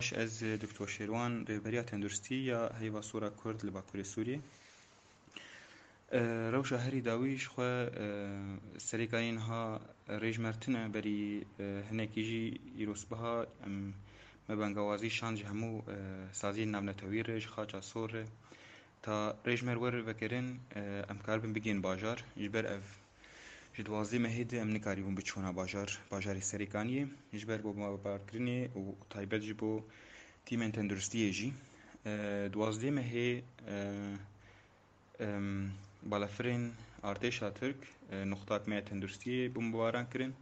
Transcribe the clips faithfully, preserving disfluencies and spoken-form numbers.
Baş, ez Doktor Şêrwan, rêveberiya tenduristî ya Heyva Sor a Kurd li Bakurê Sûriyê. E, rewşa herî dawî ji xwe, e, serêkanî niha rêjmer tune, berî, e, hinekî jî îrosbiha em me bengawazî şand ji hemû, e, saziyên navnetewî re, ji Xaça Sor re. Ta rêjmer wer vekirin, e, em karibin bigihên bajar. Ji ber ev ji duwazdeh mehê de em nikarîbûn biçûna bajar, bajarê Serêkaniyê. Ji ber bombebarkirinê û taybet ji bo tîmên tenduristiyê jî. E, duwazdeh mehê, e, em, balafirên artêşa Tirk, e, nuqtak me ya tenduristiyê bombebaran kirin.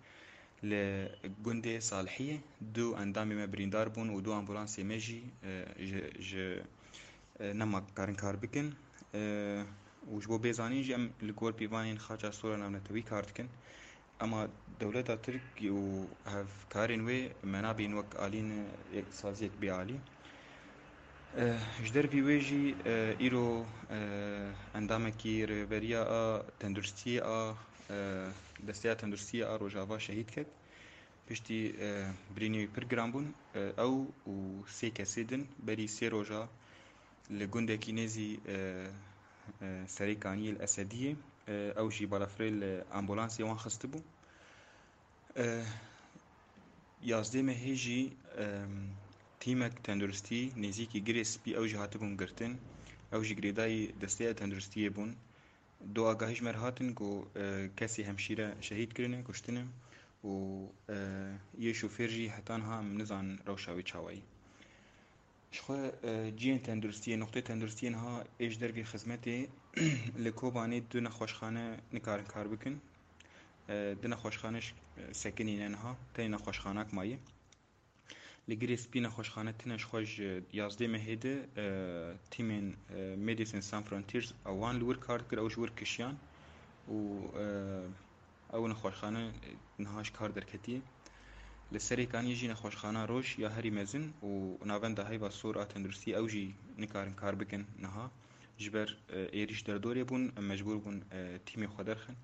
Li gundê Salihiyê du endamê me birîndar bûn û du ambulansê me jî, e, ji, ji, e, nema karin kar bikin. E, û ji bo bêzanîn jî em li gor pîvanên Xaça Sor a navnetewî kar dikin. Ema dewleta Tirk û hevkarên wê me nabîn wek alî ne, yek saziyek bê alî. Eh, ji dervî wê jî, eh, îro, eh, endamekî rêveberiya a tenduristiyê a, eh, desteya tenduristiyê a Rojava şehîd ket. Piştî, eh, birînê wî pir giran bûn. Eh, ew û sê kesê din berî sê roja li gundekî nêzî, eh, eh, Serêkaniyê li Esediyê, eh, ew jî balafirê li ambulansê wan xistibû. Eh, yazdeh mehê jî, em, tîmek tenduristî nêzîkî Girê Spî ew jî hatibûn girtin. Ew jî girêdayî desteya tenduristiyê bûn. Du agahî ji me re hatin ku, e, kesê hemşîre şehîd kirine, kuştine û, e, yê şofêr jî heta niha em nizanin rewşa wê çawa ye. Ji xwe, e, cihên tenduristiyê, noqtê tenduristiyê niha ê ji dervê xizmetê li Kobanê du nexweşxane nikarin kar bikin. E, du nexweşxane ji, e, sekinî ne niha, tenê nexweşxanak maye. Li Girê Spî nexweşxane tune ji xwe ji yazdeh mehê de, e, tîmên, e, Medicine Sans Frontiers ewan li wir kar dikir, ew ji wir kişiyan û, e, ew nexweşxane niha ji kar derketiye. Li Serêkaniyê jî nexweşxana Roj ya herî mezin û navenda Heyva Sor a Tenduristî ew jî nikarin kar bikin niha. Ji ber, e, êrîş derdorê bûn, em mecbûr bûn, e, tîmê xwe derxin.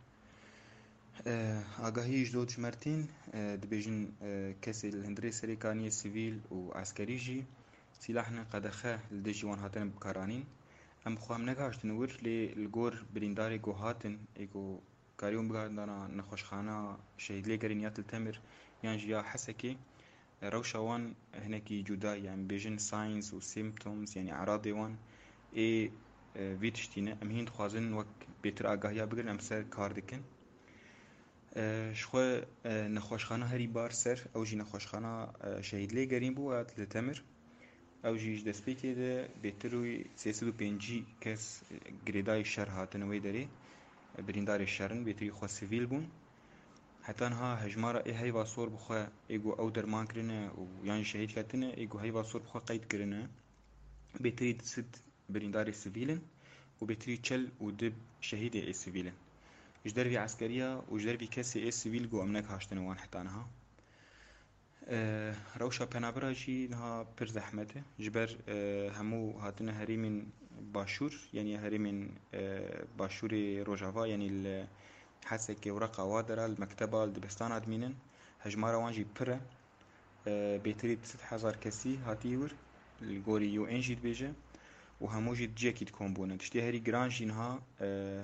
E, agahî ji dot ji me re tên, e, dibêjin, e, kesê li hundirê Serêkaniyê sivîl û eskerî jî sîlah ne qedexe li dijî wan hatine bikaranîn. Em bi xwe em negaştin wir, lê li gor birîndarê ku hatin, ê ku karîbûn bigarin dana nexweşxana şehîdlêgerîn ya Til Temir yan jî ya Hesekê, rewşa wan hinekî cuda ye. Em bêjin signs û symptoms, yanî eradê wan ê, e, vî tiştî ne. Em hîn dixwazin wek bêtir agahiya bigirin, em ser kar dikin. E, ji xwe, e, nexweşxana herî bar ser, ew jî nexweşxana, e, şehîdlêgerîn bû, ya Til Temir. Ew jî ji destpêkê de bêtir wî sê sed û pêncî kes girêdayî şer hatin wê derê, birîndarê şer in, bêtirî xwe sivîl bûn. Heta niha hejmara ê Heyva Sor bi xwe ê ku ew derman kirine û yan jî şehîd ketine, ê ku Heyva Sor bi xwe qeyd kirine, bêtirî du sed birîndarê sivîl in û bêtirî çil û du şehîdê ê sivîl in. Ji dervî eskeriya û ji dervî kesê ê sivîl ku em negaştine wan heta niha. E, rewşa penabera jî niha pir zehmet e. Ji ber, e, hemû hatine herêmên başûr, yanî herêmên, e, başûrê Rojava, yanî li Hesekê û Reqa wa dera, li mekteba, li dibistana dimînin. Hejmara wan jî pir e. E, bêtirî du sed hezar kesî hatiye wir, li gorî U N jî dibêje û hemû jî di cihekî dikom bûne. Tiştê herî giran jî niha, e,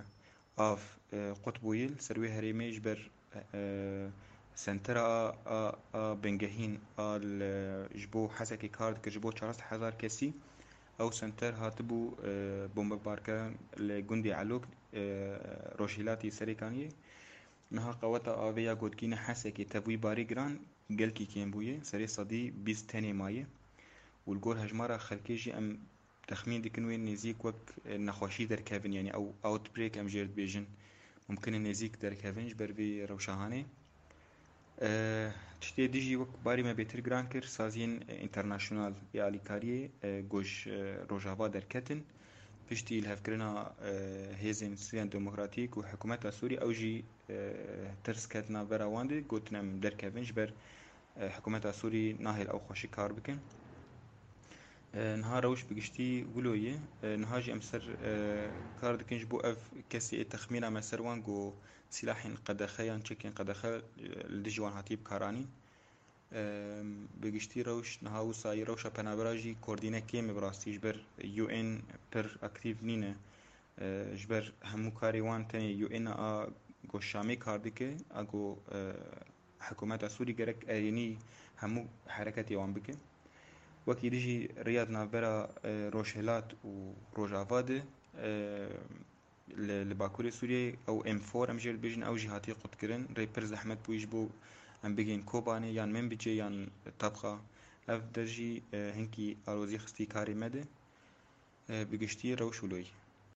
av, e, qut bûye li ser wê herêmê ji ber, e, sentera a, a, a bingehîn a li, ji bo Hesekê kar dikir, ji bo çar sed hezar kesî. Ew senter hatibû, e, bombebarkirin li gundê Elok, e, rojhilatî Serêkaniyê. Niha qeweta avê ya ku digihîne Hesekê tevî barî giran gelkî kêm bûye, serê sedî bîst tenê maye û li gor hejmara xelkê jî em texmîn dikin wê nêzîk wek, e, nexweşî derkevin, yanî ew outbreak em jê re dibêjin, mumkin e nêzîk derkevin ji ber vê rewşa hanê. E, tiştê dî jî wek barî me bêtir giran kir, saziyên, e, înternasyonal ê alîkariyê, e, ku ji, e, Rojava derketin, piştî lihevkirina, e, hêzên Sûriya Demokratîk û hikûmeta Sûrî, ew jî, e, tirs ketina vera wan de, gotin em derkevin ji ber, e, hikûmeta Sûrî nahêl ew xweşik kar bikin. E, niha rewş bi giştî wilo ye. E, niha jî em ser, e, kar dikin ji bo ev kesê ê texmîna me ser wan ku sîlahên qedexe yan çekên qedexe, e, li dijî wan hatiye bikaranîn. Bi giştî rewş niha wisa yî rewşa penabera jî koordîne kêm e bi rastî, ji ber U N pir aktîf nîne. Ji ber hemû karê wan tenê U N a ku Şamê kar dike, a ku hikûmeta Sûrî gerek erênî hemû hereketê wan bike. Wekî dî jî riya di navbera Rojhilat û Rojava de li, li Bakurê Sûriyeyê ew M four em jê dibêjin, ew jî hatiye qutkirin. Rê pir zehmet bûyî ji bo em bigihên Kobanê yan Minbicê yan Tabxa. Ev der jî hinkî alozî xistî karê me de. Bi giştî rewş wilo yî.